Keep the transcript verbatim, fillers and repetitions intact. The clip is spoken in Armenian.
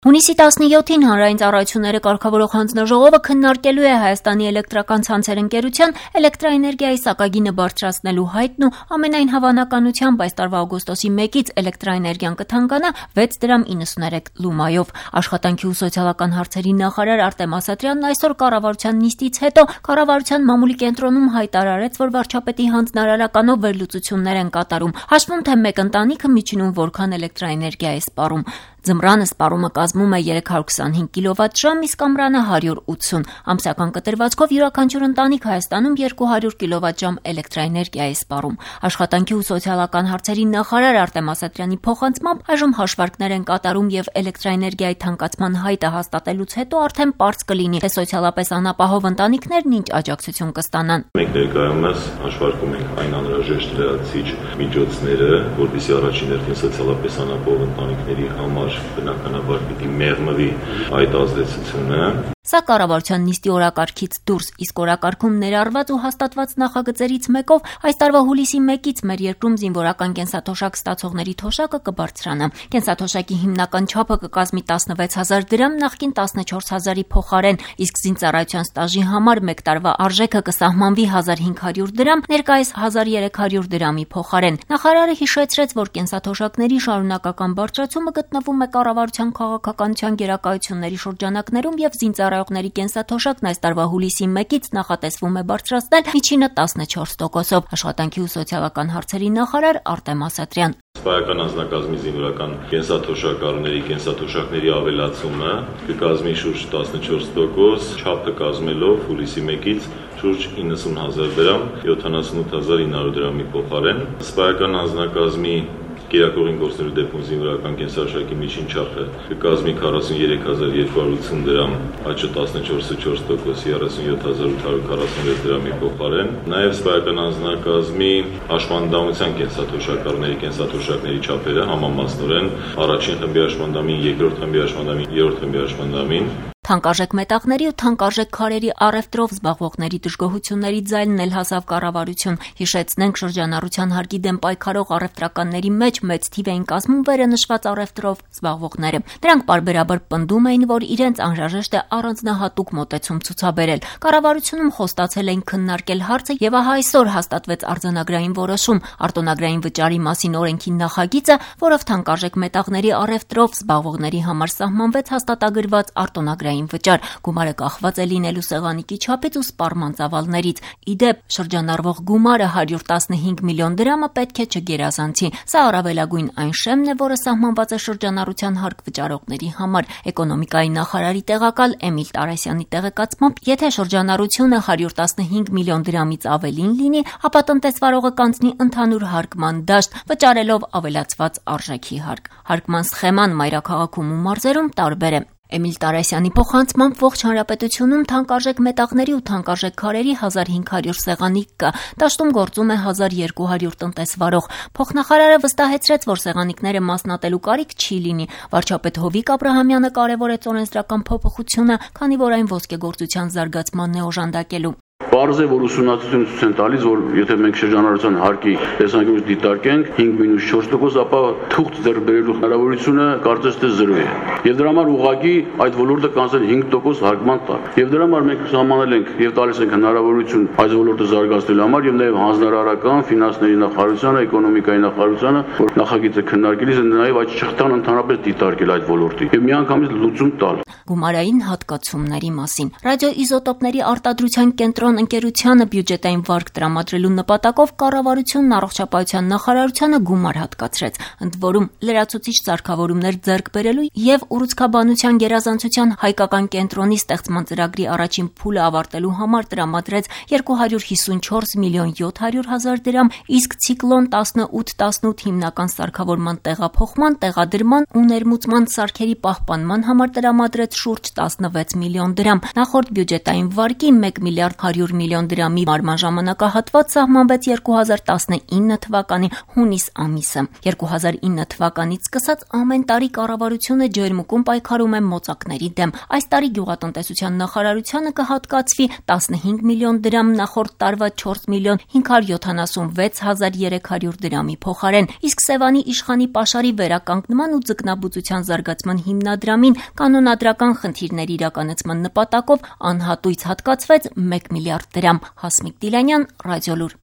Հունիսի տասնյոթին Հանրային ծառայությունները կարգավորող հանձնաժողովը քննարկելու է Հայաստանի էլեկտրական ցանցեր ընկերության էլեկտրաէներգիայի սակագինը բարձրացնելու հայտն ու ամենայն հավանականությամբ այս տարվա օգոստոսի մեկից էլեկտրաէներգիան կթանկանա վեց դրամ իննսուներեք լումայով։ Աշխատանքի ու սոցիալական հարցերի նախարար Արտեմ Ասատրյանն այսօր կառավարության նիստից հետո կառավարության մամուլի կենտրոնում հայտարարեց, որ վարչապետի հանձնարարականով վերլուծություններ են կատարում, հաշվում թե մեկ ընտանիքը միջինում որքան էլեկտրաէներգիա է սպառում։ Ձմռանը սպառումը կազմում է երեք հարյուր քսանհինգ կիլովատժամ, իսկ ամռանը հարյուր ութսուն։ Ամսական կտրվածքով յուրաքանչյուր ընտանիք Հայաստանում երկու հարյուր կիլովատժամ էլեկտրաէներգիա է սպառում։ Աշխատանքի ու սոցիալական հարցերի նախարար Արտեմ Ասատրյանի փոխանցմամբ այժմ հաշվարկներ են կատարում եւ էլեկտրաէներգիայի թանկացման հայտը հաստատելուց հետո արդեն պարզ կլինի, թե սոցիալապես անապահով ընտանիքներն ինչ աջակցություն կստանան։ Մենք ներկայումս հաշվարկում ենք այն անհրաժեշտ լրացիչ միջոցները, որպեսզի առաջին հերթին սոցիալապես անապահով ընտանիքների համար բնականաբար պիտի մեղմվի այդ ազդեցությունը։ Սա կառավարության նիստի օրակարգից դուրս, իսկ օրակարգում ներառված ու հաստատված նախագծերից մեկով այս տարվա հուլիսի մեկից մեր երկրում զինվորական կենսաթոշակ ստացողների թոշակը կբարձրանա։ Կենսաթոշակի հիմնական չափը կկազմի տասնվեց հազար դրամ, նախկին տասնչորս հազարի փոխարեն, իսկ զինծառայության ստաժի համար մեկ տարվա արժեքը կսահմանվի հազար հինգ հարյուր դրամ, ներկայիս հազար երեք հարյուր դրամի փոխարեն։ Նախարարը հիշեցրեց, որ կենսաթոշակների շարունակական բարձրացումը գտնվում է կառավարության քաղաքականության գերակայությունների շրջանակներում եւ զինծառայողների կենսաթոշակն այս տարվա հուլիսի մեկից նախատեսվում է բարձրացնել միջինը տասնչորս տոկոսով։ Աշխատանքի ու սոցիալական հարցերի նախարար Արտեմ Ասատրյան։ Սպայական անձնակազմի զինվորական կենսաթոշակառուների կենսաթոշակների ավելացումը կկազմի շուրջ տասնչորս տոկոս, չափը կազմելով հուլիսի մեկից շուրջ իննսուն հազար դրամ, յոթանասունութ հազար ինը հարյուր դրամի փոխարեն։ Սպայական անձնակազմի Կիրակողին գործնելու դեպքում զինվորական կենսաթոշակի միջին չափը կկազմի քառասունյերեք հազար երկու հարյուր ութսուն դրամ, աճը տասնչորսը չորս տոկոս, երեսունյոթ հազար ութ հարյուր քառասունվեց դրամի փոխարեն։ Նաև սպայական անձնակազմի հաշմանդամության կենսաթոշակառուների կենսաթոշակների չափերը համամասնորեն առաջին խմբի հաշմանդամին, երկրորդ խմբի հաշմանդամին, երրորդ խմբի հաշմանդամին Թանկարժեք մետաղների ու թանկարժեք քարերի առևտրով զբաղվողների դժգոհությունների ձայնն էլ հասավ կառավարություն։ Հիշեցնենք, շրջանառության հարկի դեմ պայքարող առևտրականների մեջ մեծ թիվ էին կազմում վերենշված առևտրով զբաղվողները։ Նրանք պարբերաբար պնդում էին, որ իրենց անհրաժեշտ է առանձնահատուկ մոտեցում ցուցաբերել։ Կառավարությունում խոստացել էին քննարկել հարցը եւ ահա այսօր հաստատվեց արձանագրային որոշում արտոնագրային վճարի մասին օրենքի նախագիծը, որով թանկարժեք մետաղների առևտրով զբաղվողների համար սահմանվեց հաստատագրված արտոնագրային վճար։ Գումարը կախված է լինելու սեղանիկի չափից ու սպառման ծավալներից։ Իդեպ, շրջանառվող գումարը հարյուր տասնհինգ միլիոն դրամը պետք է չգերազանցի։ Սա առավելագույն այն շեմն է, որը սահմանված է շրջանառության հարկ վճարողների համար։ Էկոնոմիկայի նախարարի տեղակալ Էմիլ Տարասյանի տեղեկացմամբ, եթե շրջանառությունը հարյուր տասնհինգ միլիոն դրամից ավելին լինի, ապա տնտեսվարողը կանցնի ընդհանուր հարկման դաշտ, վճարելով ավելացված արժեքի հարկ։ Հարկման սխեման մայրաքաղաքում ու մարզերում տարբեր է։ Էմիլ Տարասյանի փոխանցմամբ ողջ հանրապետությունում թանկարժեք մետաղների ու թանկարժեք քարերի հազար հինգ հարյուր սեղանիկ կա, դաշտում գործում է հազար երկու հարյուր տնտեսվարող։ Փոխնախարարը վստահեցրեց, որ սեղանիկները մասնատելու կարիք չի լինի։ Վարչապետ Հովիկ Աբրահամյանը կարևորեց օրենսդրական փոփոխությունը, քանի որ այն ոսկեգործության զարգացմանն է օժանդակելու։ Պարզ է, որ ուսումնասիրությունը ցույց են տալիս, որ եթե մենք շրջանառության հարկի տեսանկյունից դիտարկենք հինգ մինուս չորս տոկոս, ապա թուղթ ձեռք բերելու հնարավորությունը կարծես թե զրո է։ Եվ դրա համար ուղղակի այդ ոլորտը կանցել հինգ տոկոս հարկման տակ։ Եվ դրա համար մենք սահմանել ենք եւ տալիս ենք հնարավորություն այս ոլորտը զարգացնելու համար եւ նաեւ հանձնարարական, ֆինանսների նախարարությանը, էկոնոմիկայի նախարարությանը, որ նախագիծը քննարկելիս են նաեւ այդ շղթան ընդհանրապես դիտարկել այդ ոլորտի եւ միանգամից լուծում տալ։ Գումարային հատկացումների մասին ռադիոիզոտոպների արտադրության կենտրոն ընկերությանը բյուջետային վարկ տրամադրելու նպատակով կառավարությունն առողջապահության նախարարությանը գումար հատկացրեց։ Ընդ որում լրացուցիչ սարքավորումներ ձեռք բերելու եւ ուռուցքաբանության գերազանցության հայկական կենտրոնի ստեղծման ծրագրի առաջին փուլը ավարտելու համար տրամադրեց երկու հարյուր հիսունչորս միլիոն յոթ հարյուր հազար դրամ, իսկ ցիկլոն տասնութ տասնութ հիմնական սարքավորման տեղափոխման, տեղադրման ու ներմուծման սարքերի պահպանման համար տրամադրեց շուրջ տասնվեց միլիոն դրամ։ Նախորդ բյուջետային վարկի մեկ միլիարդ հարյուր յոթ միլիոն դրամի մարման ժամանակահատված սահմանվեց երկու հազար տասնինը թվականի հունիս ամիսը։ երկու հազար ինը թվականից սկսած ամեն տարի կառավարությունը ջերմուկում պայքարում է մոծակների դեմ։ Այս տարի գյուղատնտեսության նախարարությանը կհատկացվի տասնհինգ միլիոն դրամ նախորդ տարվա չորս միլիոն հինգ հարյուր յոթանասունվեց հազար երեք հարյուր դրամի փոխարեն, իսկ Սևանի իշխանի պաշարի վերականգնման ու ձկնաբուծության զարգացման հիմնադրամին կանոնադրական խնդիրների իրականացման նպատակով անհատույց հատկացվեց մեկ միլիարդ դրամ։ Հասմիկ Դիլանյան, Ռադիոլուր։